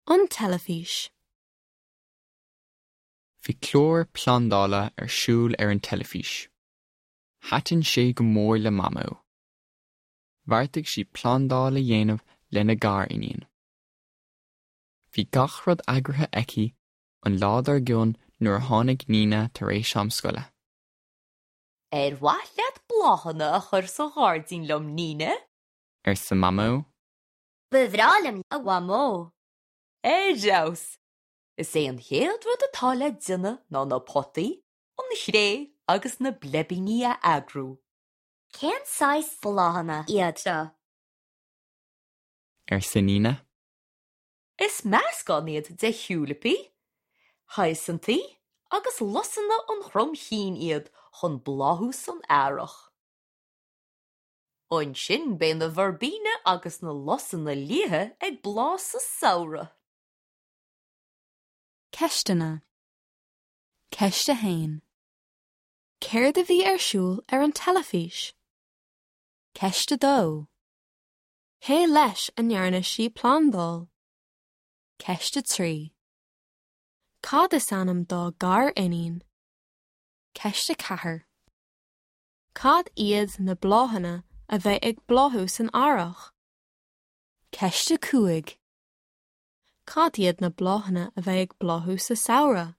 An teilifís. Bhí clár plandála ar siúl ar an teilifís. Thaitin sé go mór le Mamó. Bheartaigh sí plandáil a dhéanamh lena gariníon. Bhí gach rud eagraithe aici an lá dár gcionn nuair a tháinig Nina tar éis am scoile. Ar mhaith leat bláthanna a chur sa ghairdín liom, Nina? arsa Mamó. Ba bhreá liom, a Mhamó. Ar fheabhas! Is é an chéad rud atá le déanamh ná na potaí, an chré agus na bleibíní a eagrú. Cén saghas bláthanna iad seo? arsa Nina. Is meascán iad de thiúilipí, hiosantaí agus lusanna an chromchinn iad chun bláthú san earrach. Ansin beidh na verbena agus na lusanna liatha ag bláth sa samhradh. Ceisteanna. Ceist 1. Céard a bhí ar siúl ar an teilifís? Ceist 2. Cé leis a ndearna sí plandáil? Ceist 3. Cad is ainm dá gariníon? Ceist 4. Cad iad na bláthanna a bheidh ag bláthú san earrach? Ceist 5. Cad iad na bláthanna a bheidh ag bláthú sa samhradh?